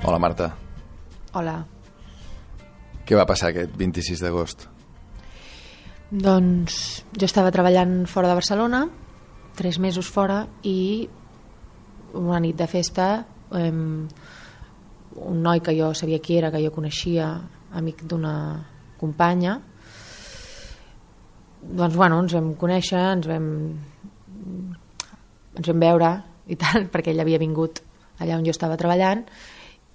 Hola, Marta. Hola. Què va passar aquest 26 d'agost? Doncs jo estava treballant fora de Barcelona, 3 mesos fora, i una nit de festa un noi que jo sabia qui era, que jo coneixia, amic d'una companya, doncs bueno, ens vam conèixer, ens vam veure i tal, perquè ell havia vingut allà on jo estava treballant,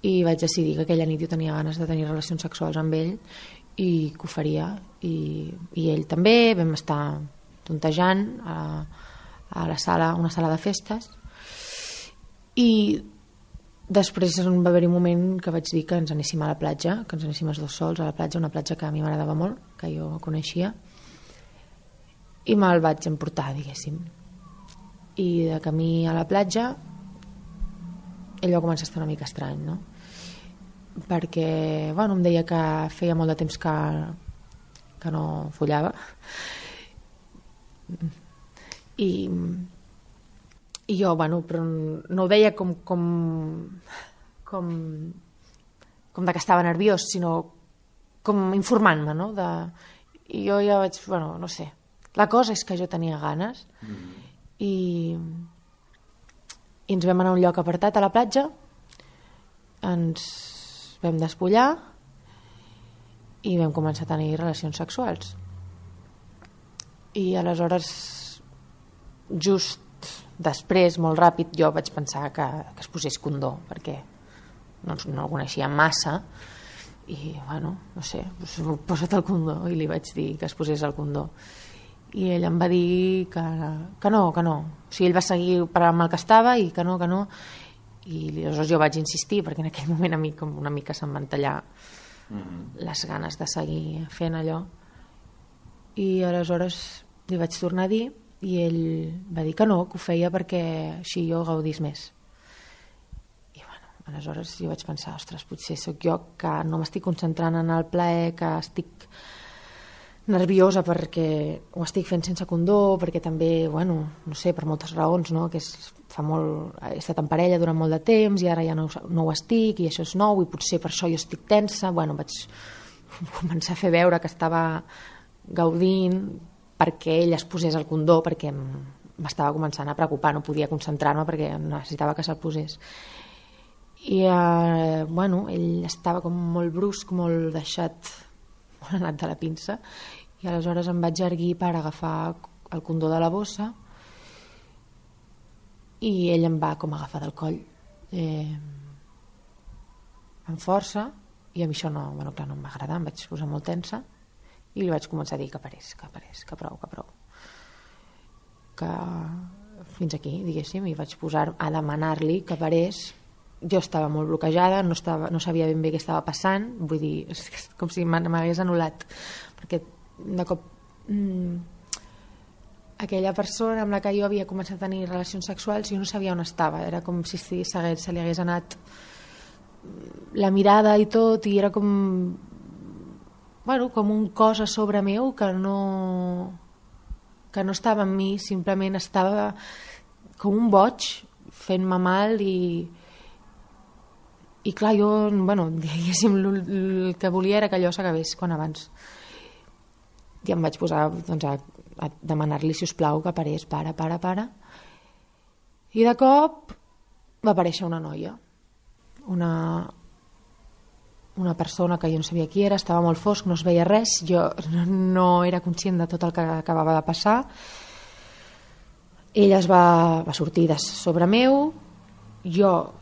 i vaig decidir que aquella nit jo tenia ganes de tenir relacions sexuals amb ell i que ho faria, i ell també. Vam estar tontejant a la sala, una sala de festes, i després va haver-hi un moment que vaig dir que ens anéssim a la platja, que ens anéssim els dos sols a la platja, una platja que a mi m'agradava molt, que jo coneixia, i me'l vaig emportar, diguéssim. I de camí a la platja ell va començar a estar una mica estrany, no? Perquè bueno, em deia que feia molt de temps que no follava, i jo, bueno, però no ho deia com de que estava nerviós, sinó com informant-me, no? I jo ja vaig, bueno, no sé, la cosa és que jo tenia ganes, i ens vam anar a un lloc apartat a la platja, ens vam despullar i vam començar a tenir relacions sexuals. I aleshores, just després, molt ràpid, jo vaig pensar que es posés condó, perquè no el coneixia massa, i bueno, no sé, posa't el condó, i li vaig dir que es posés el condó, i ell em va dir que no. O sigui, ell va seguir amb el que estava, i que no, i aleshores jo vaig insistir, perquè en aquell moment a mi com una mica se'm van tallar les ganes de seguir fent allò, i aleshores li vaig tornar a dir, i ell va dir que no, que ho feia perquè així jo gaudís més. I bueno, aleshores jo vaig pensar, ostres, potser sóc jo que no m'estic concentrant en el plaer, que estic nerviosa perquè ho estic fent sense condó, perquè també, bueno, no sé, per moltes raons, no? Que he estat en parella durant molt de temps i ara ja no ho estic, i això és nou, i potser per això jo estic tensa. Bueno, vaig començar a fer veure que estava gaudint perquè ell es posés el condó, perquè m'estava començant a preocupar, no podia concentrar-me perquè necessitava que se'l posés. I bueno, ell estava com molt brusc, molt deixat, molt anat de la pinça, i aleshores em vaig erguir per agafar el condó de la bossa, i ell em va com agafar del coll amb força, i a mi això no em va agradar, em vaig posar molt tensa, i li vaig començar a dir que parés, que prou, que fins aquí, diguéssim, i vaig posar a demanar-li que parés. Jo estava molt bloquejada, no sabia ben bé què estava passant, vull dir, és com si m'hagués anul·lat, perquè de cop aquella persona amb la que jo havia començat a tenir relacions sexuals, jo no sabia on estava, era com si se li hagués anat la mirada i tot, i era com un cos a sobre meu que no estava en mi, simplement estava com un boig fent-me mal, i clar, jo, diguéssim, el que volia era que allò s'acabés quan abans. I em vaig posar a demanar-li, si us plau, que parés, para. I de cop va aparèixer una noia, una persona que jo no sabia qui era, estava molt fosc, no es veia res, jo no era conscient de tot el que acabava de passar. Ella es va sortir de sobre meu, jo,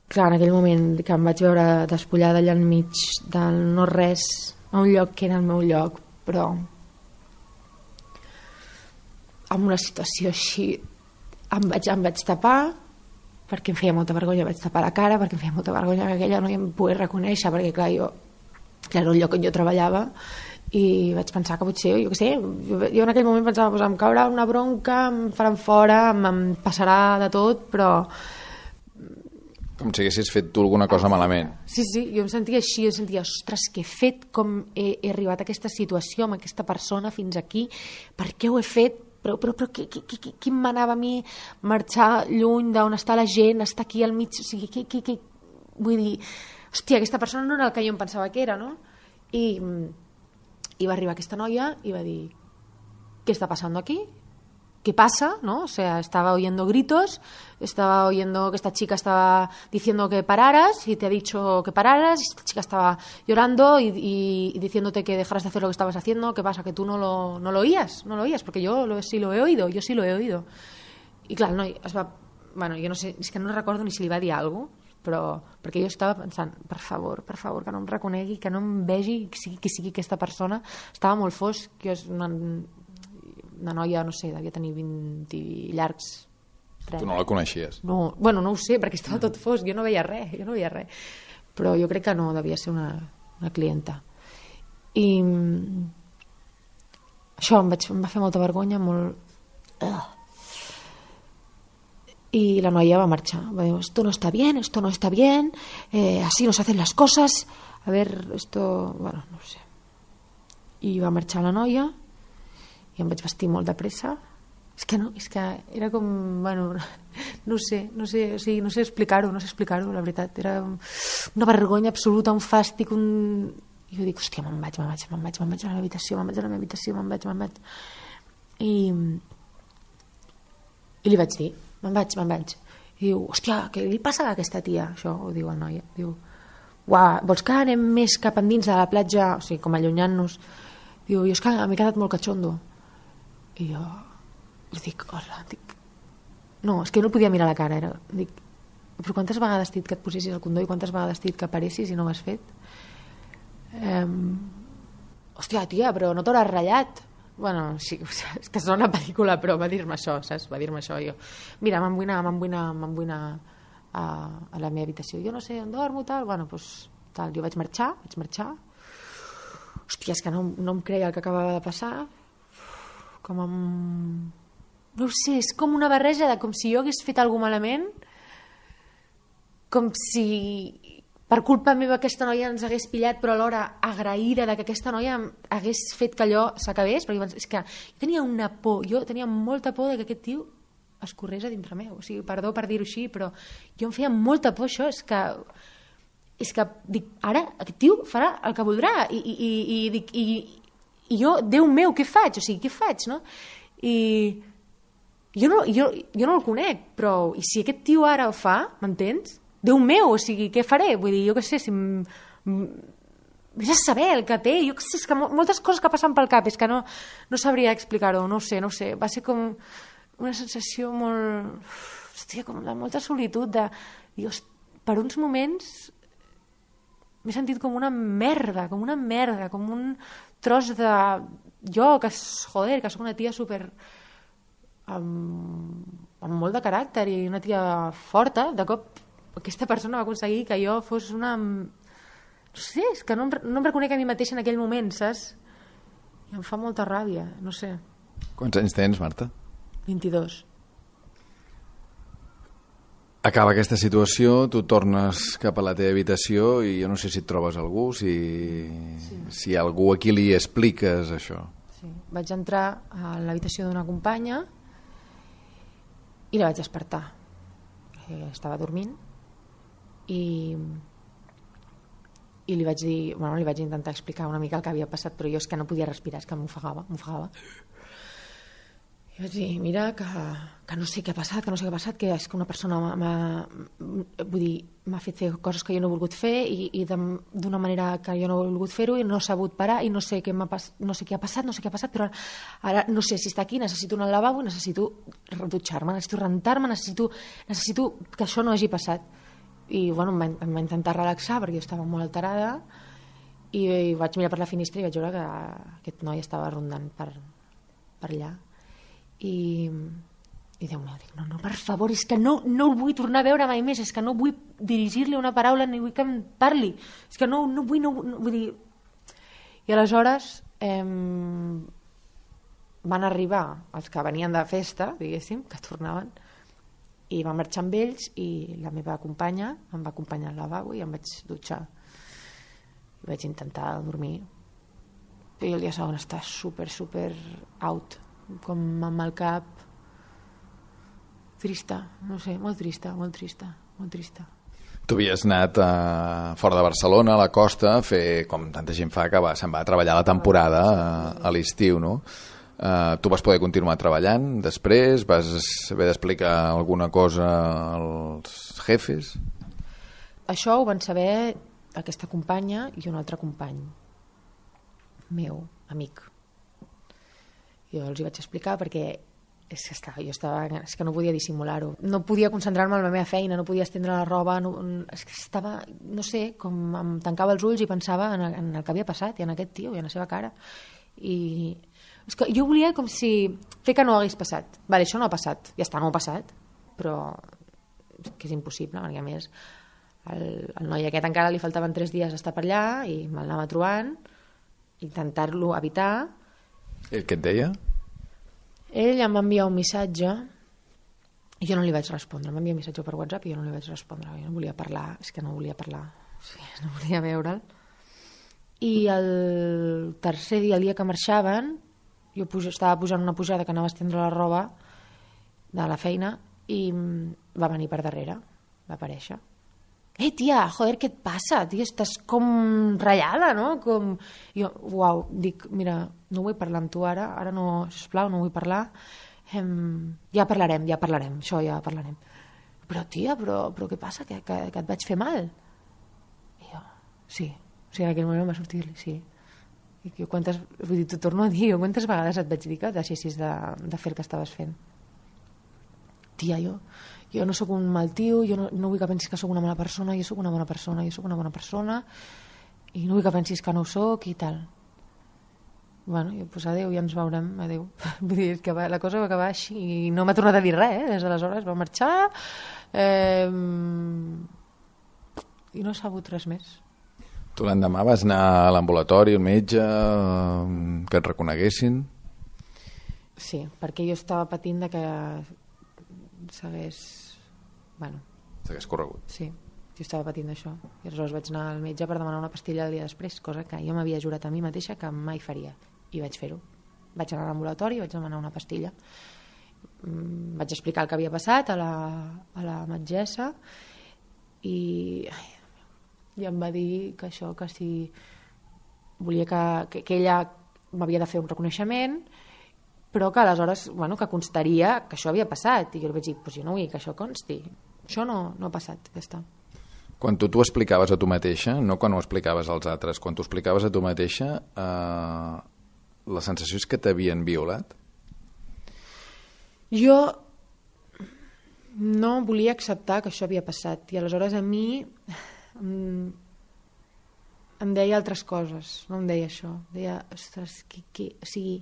clar, en aquell moment que em vaig veure despullada allà enmig del no res, a un lloc que era el meu lloc, però en una situació així em vaig tapar, perquè em feia molta vergonya, vaig tapar la cara, perquè em feia molta vergonya que aquella noia em pogués reconèixer, perquè clar, era el lloc on jo treballava, i vaig pensar que potser, jo què sé, jo en aquell moment pensava, em caurà una bronca, em faran fora, em passarà de tot, però com si haguessis fet tu alguna cosa malament. Sí, jo em sentia així, jo sentia, ostres, què he fet, com he arribat a aquesta situació amb aquesta persona fins aquí, per què ho he fet, però qui em manava a mi marxar lluny d'on està la gent, estar aquí al mig, o sigui, vull dir, hòstia, aquesta persona no era el que jo em pensava que era, no? I va arribar aquesta noia i va dir, ¿qué está pasando aquí? ¿Qué pasa? ¿No? O sea, estaba oyendo gritos, estaba oyendo que esta chica estaba diciendo que pararas y te ha dicho que pararas, y esta chica estaba llorando y diciéndote que dejaras de hacer lo que estabas haciendo. ¿Qué pasa? Que tú no lo oías, porque yo sí lo he oído. I clar, el noi es va... Bueno, jo no sé, és que no recordo ni si li va dir alguna cosa, però perquè jo estava pensant, per favor, que no em reconegui, que no em vegi, que sigui aquesta persona. Estava molt fosc, jo és una noia, no sé, devia tenir 20 i llargs. 30. Tu no la coneixies? No, bueno, no ho sé, perquè estava tot fosc, jo no veia res. Però jo crec que no, devia ser una clienta. I això em va fer molta vergonya, molt... Y la noia va marxar, va dir, esto no está bien, así no se hacen las cosas, a ver, esto, bueno, no sé. I va marxar la noia i em vaig vestir molt de pressa. És que era com, bueno, no sé explicar-ho, la veritat, era una vergonya absoluta, un fàstic, i jo dic, hòstia, me'n vaig a la meva habitació, i li vaig dir, me'n vaig. I diu, hòstia, què li passa a aquesta tia? Això ho diu el noi. Diu, uah, vols que anem més cap endins de la platja? O sigui, com allunyant-nos. Diu, jo és que m'he quedat molt catxondo. I jo li dic, hola, no, és que no el podia mirar a la cara. Dic, però quantes vegades t'he dit que et posessis el condó i quantes vegades t'he dit que paressis i no ho has fet? Hòstia, tia, però no t'hauràs ratllat? Bueno, sí, és que sona una pel·lícula, però va dir-me això, saps? Va dir-me això, jo. Mira, m'en vull anar a la meva habitació. Jo no sé on dormo, tal. Bueno, doncs, tal. Jo vaig marxar. Hòstia, és que no em creia el que acabava de passar. No ho sé, és com una barreja de com si jo hagués fet alguna cosa malament, com si per culpa meva aquesta noia ens hagués pillat, però alhora agraïda de que aquesta noia hagués fet que allò s'acabés, perquè és que jo tenia molta por de que aquest tio es corrés a dintre meu. O sigui, perdó per dir-ho així, però jo em feia molta por això, és que dic, ara aquest tio farà el que voldrà i jo, Déu meu, què faig? O sigui, què faig, no? I jo no el conec, però i si aquest tio ara ho fa, m'entens? Déu meu, o sigui, què faré? Vull dir, jo què sé, si vés a saber el que té, jo què sé, és que moltes coses que passen pel cap, és que no sabria explicar-ho, no ho sé, va ser com una sensació molt, hòstia, com de molta solitud, per uns moments m'he sentit com una merda, com un tros de jo, que soc una tia super amb molt de caràcter i una tia forta, de cop aquesta persona va aconseguir que jo fos una... No sé, és que no em reconec a mi mateixa en aquell moment, saps? I em fa molta ràbia, no sé. Quants anys tens, Marta? 22. Acaba aquesta situació, tu tornes cap a la teva habitació i jo no sé si et trobes algú, si algú a qui li expliques això. Sí, vaig entrar a l'habitació d'una companya i la vaig despertar. Estava dormint i li vaig dir, bueno, li vaig intentar explicar una mica el que havia passat, però jo és que no podia respirar, és que m'ofegava. I vaig dir, mira, que no sé què ha passat, que és que una persona m'ha fet fer coses que jo no he volgut fer i d'una manera que jo no he volgut fer-ho i no he sabut parar i no sé què ha passat, però ara no sé si està aquí, necessito anar al lavabo, necessito dutxar-me, necessito rentar-me, necessito que això no hagi passat. I bueno, em va intentar relaxar perquè jo estava molt alterada i vaig mirar per la finestra i vaig veure que aquest noi estava rondant per allà i Déu meu, dic, no, per favor, és que no el vull tornar a veure mai més, és que no vull dirigir-li una paraula ni vull que em parli, és que no vull dir... I aleshores van arribar els que venien de festa, diguéssim, que tornaven, i va marxar amb ells i la meva companya em va acompanyar al lavabo i em vaig dutxar i vaig intentar dormir i el dia següent està super out, com amb el cap trista, no sé, molt trista. Tu havies anat fora de Barcelona, a la costa, a fer, com tanta gent fa, que se'n va a treballar la temporada a l'estiu, no? Tu vas poder continuar treballant després? Vas haver d'explicar alguna cosa als jefes? Això ho van saber aquesta companya i un altre company meu, amic. Jo els hi vaig explicar perquè és que no podia dissimular-ho. No podia concentrar-me en la meva feina, no podia estendre la roba, és que estava, no sé, com em tancava els ulls i pensava en el que havia passat i en aquest tio i en la seva cara. I és que jo volia com si fer que no hagués passat. Vale, això no ha passat, ja està, no ha passat, però que és impossible, perquè a més el noi aquest encara li faltaven 3 dies estar per allà i me'l anava trobant, intentar-lo evitar. El què et deia? Ell em va enviar un missatge i jo no li vaig respondre. Em va enviar un missatge per WhatsApp i jo no li vaig respondre. Jo no volia parlar, és que no volia parlar. Sí, no volia veure'l. I el tercer dia, el dia que marxaven, jo estava pujant una pujada que anava a estendre la roba de la feina i va venir per darrere, va aparèixer. Tia, joder, què et passa? Tia, estàs com ratllada, no? Jo, uau, dic, mira, no vull parlar amb tu ara no, sisplau, no vull parlar. Ja parlarem, això ja parlarem. Però, tia, però què passa? Que et vaig fer mal? I jo, sí, en aquell moment va sortir-li, sí. I jo, vull dir, t'ho torno a dir, quantes vegades et vaig dir que deixessis de fer el que estaves fent? Tia, jo no sóc un mal tio, jo no vull que pensis que sóc una mala persona, jo sóc una bona persona i no vull que pensis que no ho sóc i tal. Bueno, doncs adéu, ja ens veurem, adéu. Vull dir, que la cosa va acabar així i no m'ha tornat a dir res, des d'aleshores va marxar i no s'ha sabut res més. Tu l'endemà vas anar a l'ambulatori, al metge, que et reconeguessin? Sí, perquè jo estava patint de que s'hagués corregut. Sí, jo estava patint això i aleshores vaig anar al metge per demanar una pastilla el dia després, cosa que jo m'havia jurat a mi mateixa que mai faria i vaig fer-ho. Vaig anar a l'ambulatori i vaig demanar una pastilla. Vaig explicar el que havia passat a la metgessa i em va dir que això, que si volia que ella m'havia de fer un reconeixement, però que aleshores, que constaria que això havia passat. I jo li vaig dir, jo no vull que això consti. Això no ha passat, ja està. Quan tu t'ho explicaves a tu mateixa, no quan ho explicaves als altres, quan t'ho explicaves a tu mateixa, la sensació és que t'havien violat? Jo no volia acceptar que això havia passat i aleshores a mi em deia altres coses, no em deia això. Deia, ostres, o sigui,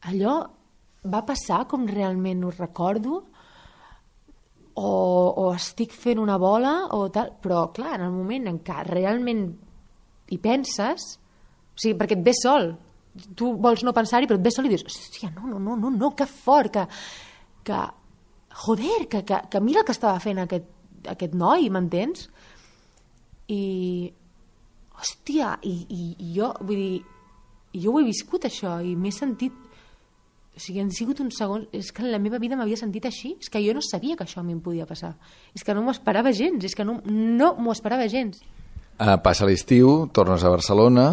allò va passar com realment ho recordo o estic fent una bola o tal, però clar, en el moment en què realment hi penses, o sigui, perquè et ve sol, tu vols no pensar-hi però et ve sol i dius, hòstia, no, que fort, que joder, que mira el que estava fent aquest noi, m'entens? I hòstia, i jo vull dir, jo ho he viscut això i m'he sentit, o sigui, han sigut uns segons, és que en la meva vida m'havia sentit així, és que jo no sabia que això a mi em podia passar, és que no m'ho esperava gens, és que no m'ho esperava gens. Passa l'estiu, tornes a Barcelona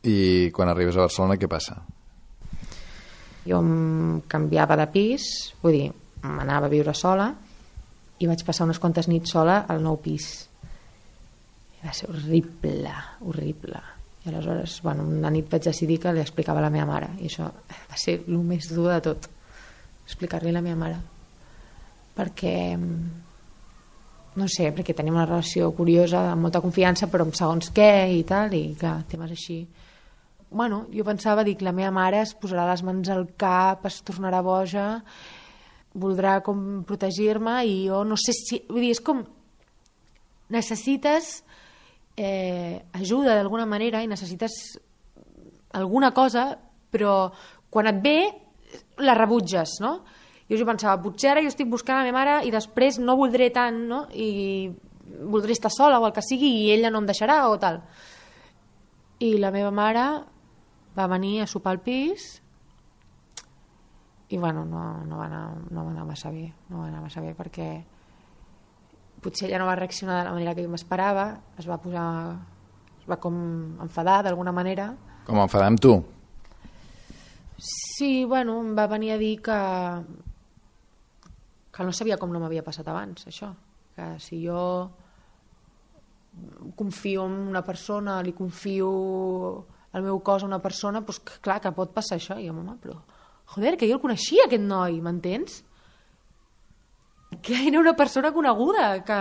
i quan arribes a Barcelona què passa? Jo em canviava de pis, vull dir, m'anava a viure sola i vaig passar unes quantes nits sola al nou pis i va ser horrible. I aleshores, una nit vaig decidir que li explicava a la meva mare i això va ser el més dur de tot, explicar-li a la meva mare, perquè no sé, perquè tenim una relació curiosa amb molta confiança però amb segons què i tal, i clar, temes així. Jo pensava, dic, la meva mare es posarà les mans al cap, es tornarà boja, voldrà com protegir-me i jo no sé si, vull dir, és com necessites ajuda d'alguna manera i necessites alguna cosa, però quan et ve la rebutges, no? Jo pensava, potser ara jo estic buscant a la meva mare i després no voldré tant, no? I voldré estar sola o el que sigui i ella no em deixarà o tal. I la meva mare va venir a sopar al pis i no va anar massa bé, perquè potser ella no va reaccionar de la manera que jo m'esperava, es va com enfadar d'alguna manera. Com enfadar amb tu? Sí, bueno, em va venir a dir que no sabia com no m'havia passat abans, això. Que si jo confio en una persona, li confio el meu cos a una persona, doncs clar que pot passar això. I jo, home, però joder, que jo el coneixia, aquest noi, m'entens? Que era una persona coneguda, que...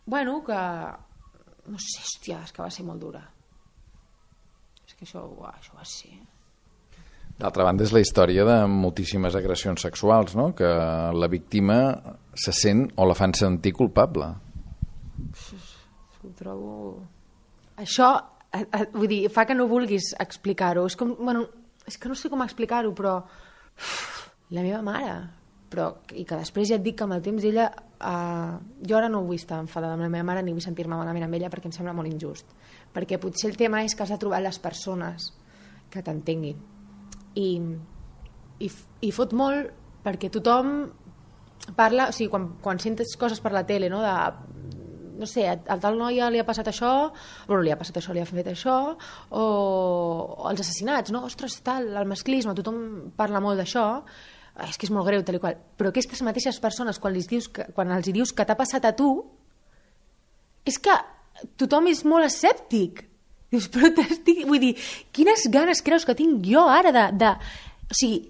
Bueno, que... No sé, hòstia, és que va ser molt dura. És que això va ser... D'altra banda, és la història de moltíssimes agressions sexuals, no? Que la víctima se sent o la fan sentir culpable. Ho trobo... Això, vull dir, fa que no vulguis explicar-ho. És com, bueno, és que no sé com explicar-ho, però... La meva mare... Però, i que després ja et dic que amb el temps ella... jo ara no vull estar enfadada amb la meva mare ni vull sentir-me malament amb ella perquè em sembla molt injust. Perquè potser el tema és que has de trobar les persones que t'entenguin. I fot molt perquè tothom parla, o sigui, quan sentes coses per la tele, no, no sé, a tal noia li ha passat això, bueno, li ha passat això, li ha fet això, o els assassinats, no, ostres, tal, el masclisme, tothom parla molt d'això, és que és molt greu, tal i qual, però aquestes mateixes persones, quan els dius que t'ha passat a tu, és que tothom és molt escèptic. Dius, però vull dir, quines ganes creus que tinc jo ara o sigui,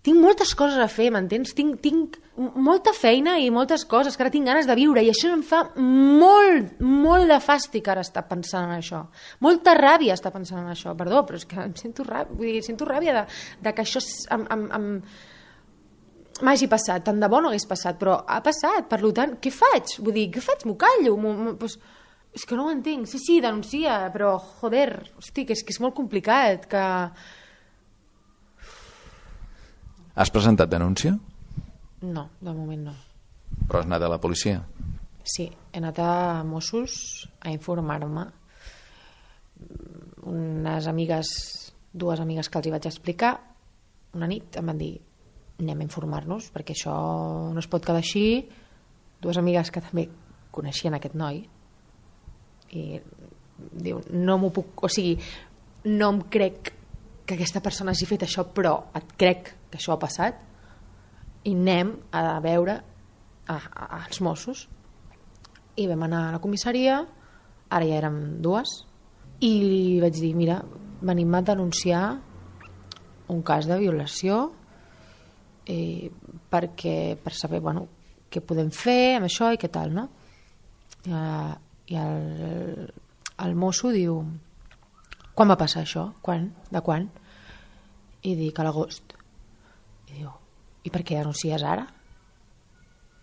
tinc moltes coses a fer, m'entens? Tinc molta feina i moltes coses que ara tinc ganes de viure i això em fa molt de fàstic ara estar pensant en això. Molta ràbia estar pensant en això, perdó, però és que em sento ràbia, vull dir, sento ràbia de que això m'hagi passat, tant de bo no hagués passat, però ha passat, per tant, què faig? Vull dir, què faig? M'ho callo? Pues, és que no ho entenc. Sí, denuncia, però, joder, hosti, que és molt complicat, que... Has presentat denúncia? No, de moment no. Però has anat a la policia? Sí, he anat a Mossos a informar-me. Dues amigues que els hi vaig explicar, una nit em van dir anem a informar-nos perquè això no es pot quedar així. Dues amigues que també coneixien aquest noi i diu, no m'ho puc, o sigui, no em crec que aquesta persona hagi fet això, però et crec que això ha passat i anem a veure als Mossos. I vam anar a la comissaria, ara ja érem dues, i li vaig dir, mira, venim a denunciar un cas de violació per saber, bueno, què podem fer amb això i què tal, no? I el mosso diu, quan va passar això? Quan? De quan? I dic, a l'agost. I diu, i per què denuncies ara?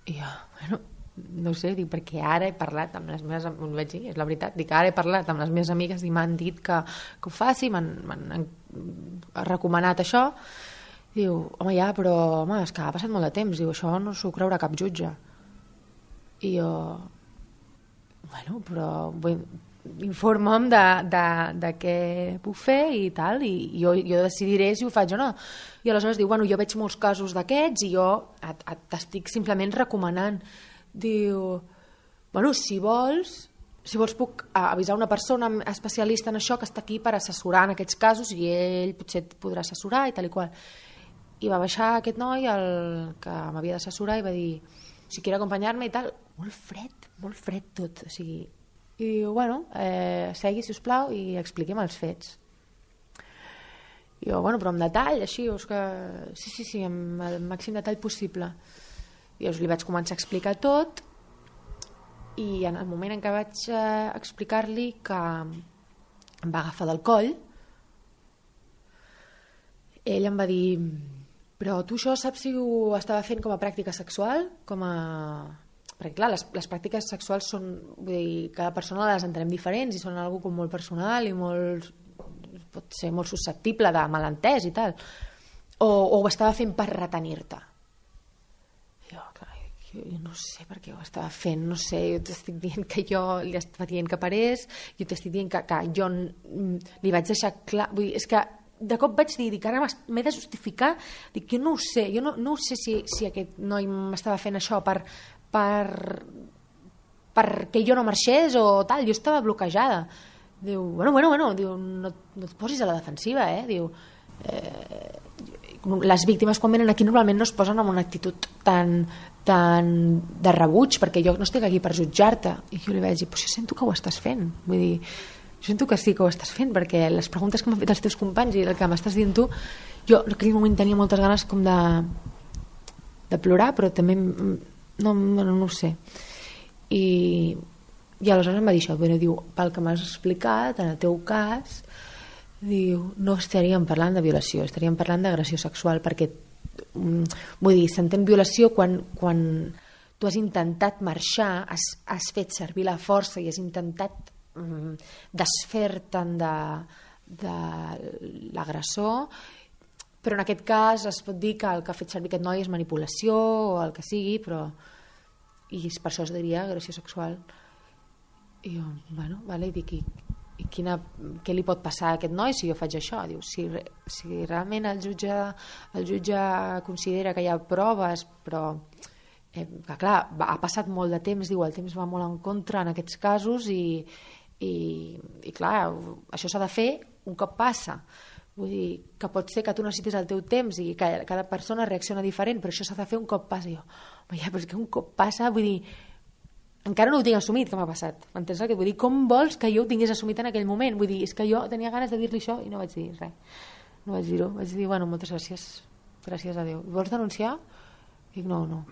I jo, bueno, no sé, dic, perquè ara he parlat amb les meves amigas, vaig dir, és la veritat, dic, ara he parlat amb les meves amigues i m'han dit que ho faci, m'han recomanat això. Diu, home, ja, però home, és que ha passat molt de temps, diu, això no s'ho creurà cap jutge. I jo, bueno, però informa'm de què puc fer i tal, i jo decidiré si ho faig o no. I aleshores diu, bueno, jo veig molts casos d'aquests i jo t'estic simplement recomanant. Diu, bueno, si vols puc avisar una persona especialista en això que està aquí per assessorar en aquests casos i ell potser et podrà assessorar i tal i qual. I va baixar aquest noi, el que m'havia d'assessorar, i va dir, si quiere acompanyar-me i tal, molt fred tot, o sigui, i diu, bueno, segui, sisplau, i expliquem els fets. I jo, bueno, però amb detall, així, que... sí, amb el màxim detall possible. I llavors li vaig començar a explicar tot, i en el moment en què vaig explicar-li que em va agafar del coll, ell em va dir, però tu això saps si ho estava fent com a pràctica sexual? Perquè clar, les pràctiques sexuals són, vull dir, cada persona les entenem diferents i són algo com molt personal i pot ser molt susceptible de malentès i tal. O ho estava fent per retenir-te? Jo no sé per què ho estava fent, no sé, jo t'estic dient que jo li estava dient que parés, jo t'estic dient que jo li vaig deixar clar, vull dir, és que de cop vaig dir que ara m'he de justificar, dic, jo no ho sé, no ho sé si aquest noi m'estava fent això per perquè jo no marxés o tal, jo estava bloquejada. Diu, bueno, diu, no et posis a la defensiva, diu, les víctimes quan venen aquí normalment no es posen en una actitud tan de rebuig, perquè jo no estic aquí per jutjar-te. I jo li vaig dir, però jo sento que ho estàs fent, vull dir, jo sento que sí que ho estàs fent, perquè les preguntes que m'han fet els teus companys i el que m'estàs dient tu, jo en aquell moment tenia moltes ganes com de plorar, però també no ho sé. I aleshores em va dir això, diu, pel que m'has explicat, en el teu cas, diu, no estaríem parlant de violació, estaríem parlant d'agressió sexual, perquè vull dir, s'entén violació quan tu has intentat marxar, has fet servir la força i has intentat desfer-te'n de l'agressor, però en aquest cas es pot dir que el que ha fet servir aquest noi és manipulació o el que sigui, però i per això es diria agressió sexual. I jo, bueno, vale, i dic, què li pot passar a aquest noi si jo faig això? Diu, si realment el jutge considera que hi ha proves, però que clar, ha passat molt de temps, diu, el temps va molt en contra en aquests casos i clar, això s'ha de fer un cop passa. Vull dir, que pot ser que tu necessitis el teu temps i que cada persona reacciona diferent, però això s'ha de fer un cop passa. I jo, però és que un cop passa, vull dir, encara no ho tinc assumit que m'ha passat, m'entens el que vull dir? Com vols que jo ho tingués assumit en aquell moment? Vull dir, és que jo tenia ganes de dir-li això i no vaig dir res, no vaig dir-ho, vaig dir, bueno, moltes gràcies, gràcies a Déu. Vols denunciar? Dic, no,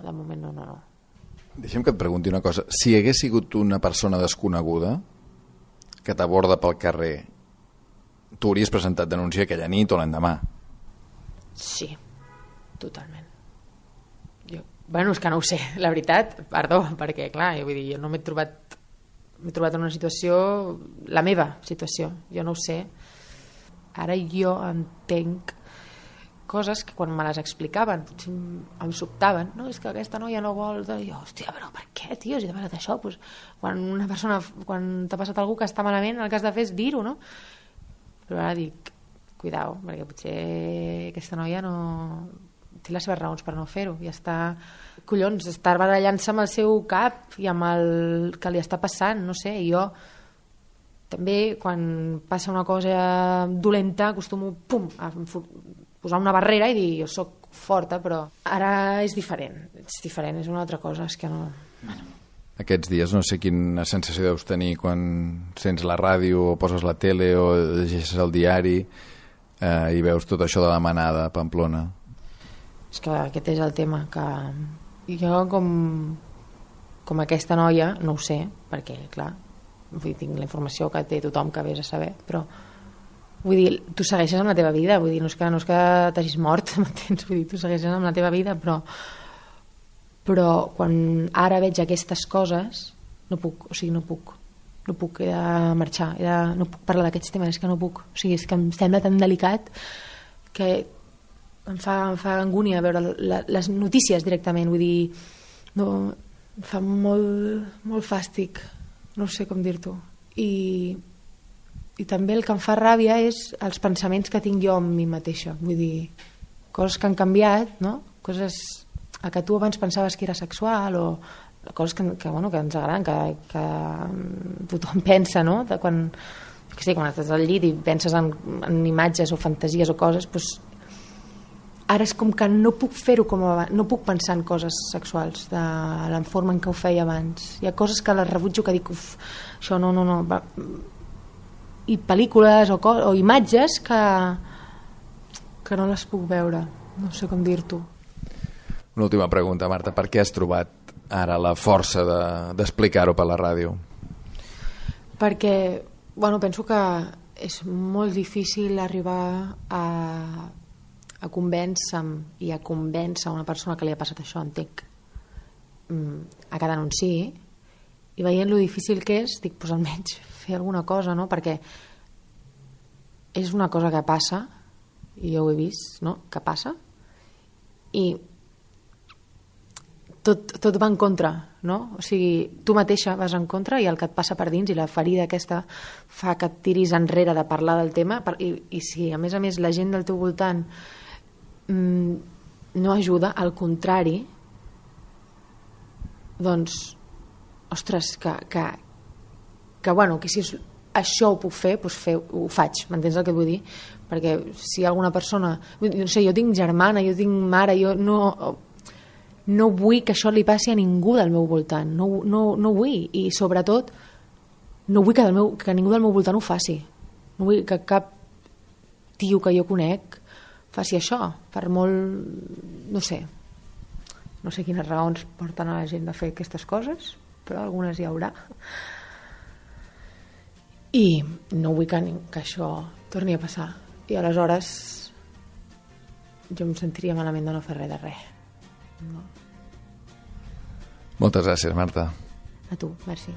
de moment no. Deixa'm que et pregunti una cosa, si hagués sigut una persona desconeguda que t'aborda pel carrer, tu hauries presentat denúncia aquella nit o l'endemà? Sí, totalment. Bueno, és que no ho sé, la veritat, perdó, perquè clar, jo vull dir, jo no m'he trobat en una situació, la meva situació, jo no ho sé. Ara jo entenc coses que quan me les explicaven potser em sobtaven, no, és que aquesta noia no vol, i jo, hòstia, però per què, tio, si t'ha passat això? Pues, quan t'ha passat algú que està malament, el que has de fer és dir-ho, no? Però ara dic, cuidao, perquè potser aquesta noia no té les seves raons per no fer-ho i està barallant-se amb el seu cap i amb el que li està passant, no sé. I jo també quan passa una cosa dolenta acostumo a posar una barrera i dir jo soc forta, però ara és diferent, és una altra cosa, és que no... Aquests dies no sé quina sensació deus tenir quan sents la ràdio o poses la tele o llegeixes el diari i veus tot això de la manada a Pamplona. És que aquest és el tema, que jo com aquesta noia no ho sé, perquè clar, tinc la informació que té tothom que vés a saber, però vull dir, tu segueixes amb la teva vida, vull dir, no és que t'hagis mort, m'entens? Vull dir, tu segueixes amb la teva vida, però quan ara veig aquestes coses no puc he de marxar, no puc parlar d'aquests temes, és que no puc, o sigui, és que em sembla tan delicat que em fa angúnia veure les notícies directament, vull dir, no, em fa molt fàstic, no sé com dir-t'ho, i també el que em fa ràbia és els pensaments que tinc jo amb mi mateixa, vull dir, coses que han canviat, no? Coses a que tu abans pensaves que era sexual o coses que ens agraden, que tothom pensa, no? Quan estàs al llit i penses en imatges o fantasies o coses, doncs ara és com que no puc fer-ho com abans, no puc pensar en coses sexuals de la forma en què ho feia abans. Hi ha coses que les rebutjo, que dic, això no. I pel·lícules o imatges que no les puc veure. No sé com dir-t'ho. Una última pregunta, Marta. Per què has trobat ara la força d'explicar-ho per la ràdio? Perquè, penso que és molt difícil arribar a convèncer-me i a convèncer una persona que li ha passat això, entenc, a que denunciï, i veient lo difícil que és, dic, doncs almenys fer alguna cosa, no? Perquè és una cosa que passa, i jo ho he vist, no? Que passa, i tot va en contra, no? O sigui, tu mateixa vas en contra i el que et passa per dins i la ferida aquesta fa que et tiris enrere de parlar del tema i si a més la gent del teu voltant no ajuda, al contrari, doncs, ostres, que bueno, que si això ho puc fer, doncs ho faig, m'entens el que vull dir? Perquè si hi ha alguna persona, no sé, jo tinc germana, jo tinc mare, jo no vull que això li passi a ningú del meu voltant, no vull, i sobretot no vull que ningú del meu voltant ho faci, no vull que cap tio que jo conec faci això, per molt, no sé quines raons porten a la gent a fer aquestes coses, però algunes hi haurà, i no vull que això torni a passar, i aleshores jo em sentiria malament de no fer res de res. No. Moltes gràcies, Marta. A tu, merci.